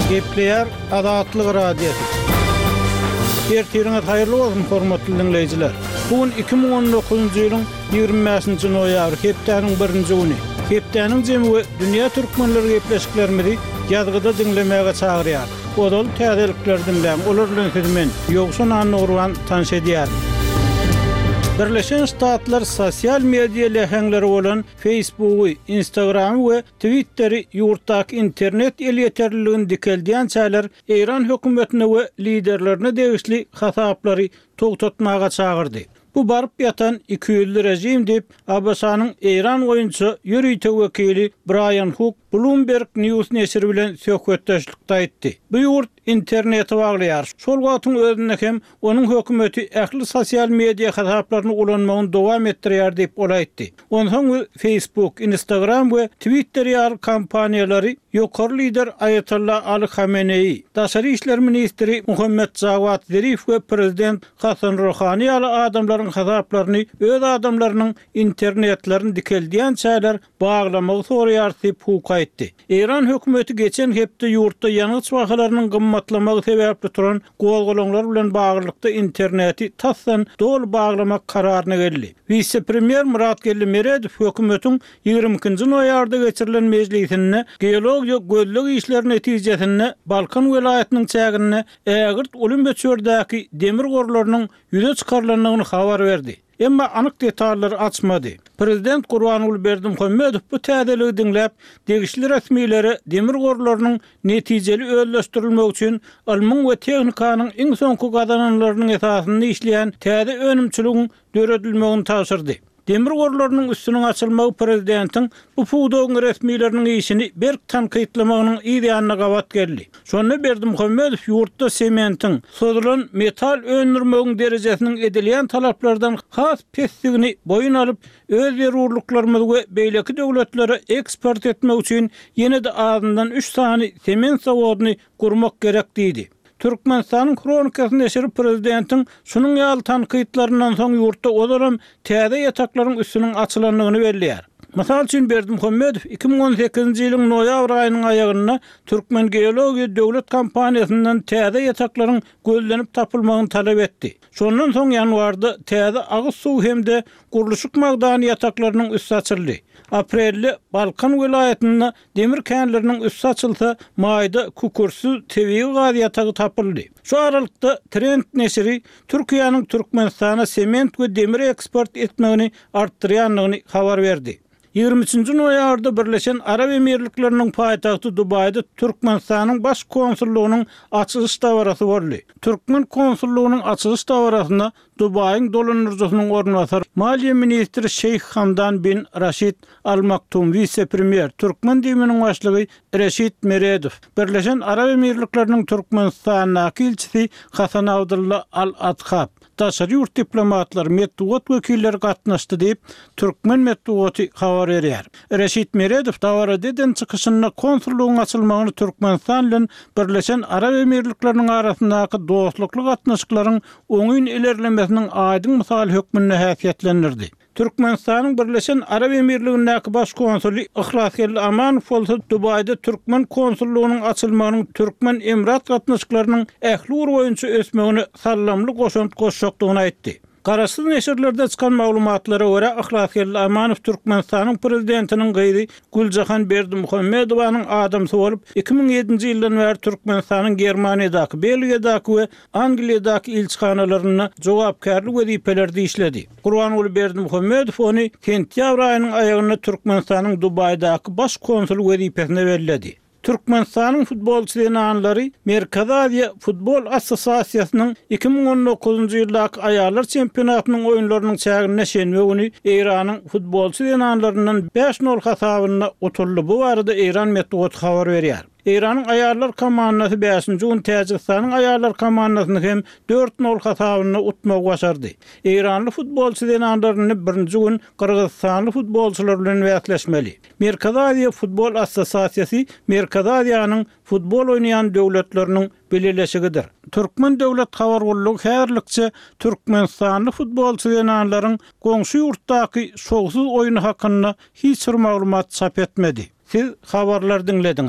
Gepleýär Azatlyk Radiosy. Ertiriňiz haýyrly bolsun, hormatly diňleýjiler! Bu gün 2019-njy ýylyň 25-nji noýabry, hepdäniň birinji güni. Hepdäniň jemi we dünýä türkmenleri gepleşiklerimizi ýazgyda diňlemäge çagyrýar. Ozal täzelikleri diňläň, olar bilen sizi men, Ýowşan Annagurban, tanyş edýärin. Birleşen Ştatlar sosial media läheňleri bolan Faceboogy, Instagramy we Twitteri ýurtdaky internet elýeterliligini dikeldýänçäler Eýran hökümetine we liderlerine degişli hasaplary togtatmaga çagyrdy. Bu baryp ýatan ikiýüzli režim diýip, ABŞ-nyň Eýran boýunça ýörite wekili Braýan Huk Bloomberg News neşiri bilen söhbetdeşlikde aýtdy. Bu ýurt interneti baglaýar, şol wagtyň özünde hem onuň hökümeti ähli sosial media hasaplaryny ulanmagyny dowam etdirýär diýip, ol aýtdy. Onsoň biz Facebook, Instagram we Twitter ýaly kompaniýalary ýokary lider Aýatolla Aly Hameneýi, daşary işler ministri Muhammet Jawad Zerif we prezident Hasan Rohani ýaly adamlaryň hasaplaryny öz adamlarynyň internetlerini dikeldýänçäler baglamagy soraýarys diýip, Huk aýtdy. Eýran hökümeti geçen hepde ýurtda ýangyç bahalarynyň gymmatlamagy sebäpli turan gozgalaňlar bilen baglylykda interneti tasdan doly baglamak kararyna geldi. Wise-premýer Myratgeldi Meredow hökümetiň 22-nji noýabrda geçirilen mejlisinde geologiýa gözleg işleri netijesinde Balkan welaýatynyň çäginde ägirt uly möçberdäki demir gorlarynyň ýüze çykarylandygyny habar berdi. Emma anyk detallary açmady. Prezident Gurbanguly Berdimuhamedow bu täzeligi diňläp, degişli resmilere demir gorlarynyň netijeli özleşdirilmegi üçin ylmyň we tehnikanyň iň soňky gazananlarynyň esasynda işleýän täze önümçiligiň döredilmegini tabşyrdy. Demir gorlarynyň üstüniň açylmagy prezidentiň bu pudagyň resmileriniň işini berk tankytlamagynyň yz ýanyna gabat geldi. Şonda Berdimuhamedow ýurtda sementiň, sozulan metal öndürmegiň derejesiniň edilýän talaplardan has pesdigini boýun alyp, öz zerurlyklarymyzy we beýleki döwletlere eksport etmek üçin ýene-de azyndan üç sany sement zawodyny gurmak gerek diýdi. Türkmenistanyň Hronikasy neşiri prezidentiň şunuň ýaly tankytlaryndan soň ýurtda ozalam täze ýataklaryň üstüniň açylandygyny belleýär. Mysal üçin, Berdimuhamedow 2018-nji ýylyň noýabr aýynyň aýagynda Türkmengeologiýa döwlet kompaniýasyndan täze ýataklaryň gözlenip tapylmagyny talap etdi. Şondan soň ýanwarda täze agyz suw hem-de gurluşyk magdany ýataklarynyň üsti açyldy. Aprelde Balkan welaýatynda Demir känleriniň üsti açylsa, maýda kükürtsiz tebigy gaz ýatagy tapyldy. Şu aralykda, Trend neşiri Türkiýäniň Türkmenistana sement we demir eksport etmegini artdyrýandygyny habar berdi. 23-nji noýabrda Birleşen Arap Emirlikleriniň paýtagty Dubaýda Türkmenistanyň Baş konsullygynyň açylyş dabarasy boldy. Türkmen konsullygynyň açylyş dabarasyna Dubaýyň dolandyryjysynyň orunbasary, maliýe ministri Şeýh Hamdan bin Raşid Al Maktum, wise-premýer, türkmen DIM-niň başlygy Reşit Meredow, Birleşen Arap Emirlikleriniň Türkmenistandaky ilçisi Hasan Abdylla Al Adhab, daşary ýurt diplomatlary, metbugat wekilleri gatnaşdy diýip, türkmen metbugaty habar berýär. Reşit Meredow dabarada eden çykyşynda konsullygyň açylmagyny Türkmenistan bilen Birleşen Arap Emirlikleriniň arasyndaky dostlukly gatnaşyklaryň oňyn ilerlemesiniň aýdyň mysaly hökmünde häsiýetlendirdi. Türkmenistanyň Birleşen Arap Emirligindäki Baş konsuly Yhlasgeldi Amanow bolsa Dubaýda türkmen konsullygynyň açylmagynyň türkmen-emirat gatnaşyklarynyň ähli ugur boýunça ösmegine saldamly goşant goşjakdygyny aýtdy. Garaşsyz neşirlerde çykan maglumatlara görä, Yhlasgeldi Amanow Türkmenistanyň Prezidentiniň gyzy Güljahan Berdimuhamedowanyň adamsy bolup, 2007-nji ýyldan bäri Türkmenistanyň Germaniýadaky, Belgiýadaky we Angliýadaky ilçihanalarynda jogapkärli wezipelerde işledi. Gurbanguly Berdimuhamedow ony sentýabr aýynyň aýagynda Türkmenistanyň Dubaýdaky baş konsuly wezipesine belledi. Türkmenistanyň futbolçy zenanlary Merkezi Aziýa futbol assosiasiýasynyň 2019-njy ýyldaky aýallar çempionatynyň oýunlarynyň çäginde şenbe güni Eýranyň futbolçy zenanlaryndan bäş nol hasabynda utuldy. Bu barada eýran metbugaty habar berýär. Eýranyň aýallar komandasy bäşinji gün Täjigistanyň aýallar komandasyny hem dört nol hasabynda utmagy başardy. Eýranly futbolçy zenanlar indi birinji gün gyrgyzystanly futbolçylar bilen bäsleşmeli. Merkezi Aziýa futbol assosiasiýasy Merkezi Aziýanyň futbol oýnaýan döwletleriniň bileleşigidir. Türkmen döwlet habar gullugy häzirlikçe türkmenistanly futbolçy zenanlaryň goňşy ýurtdaky şowsuz oýny hakynda hiç bir maglumat çap etmedi. Siz habarlary diňlediňiz.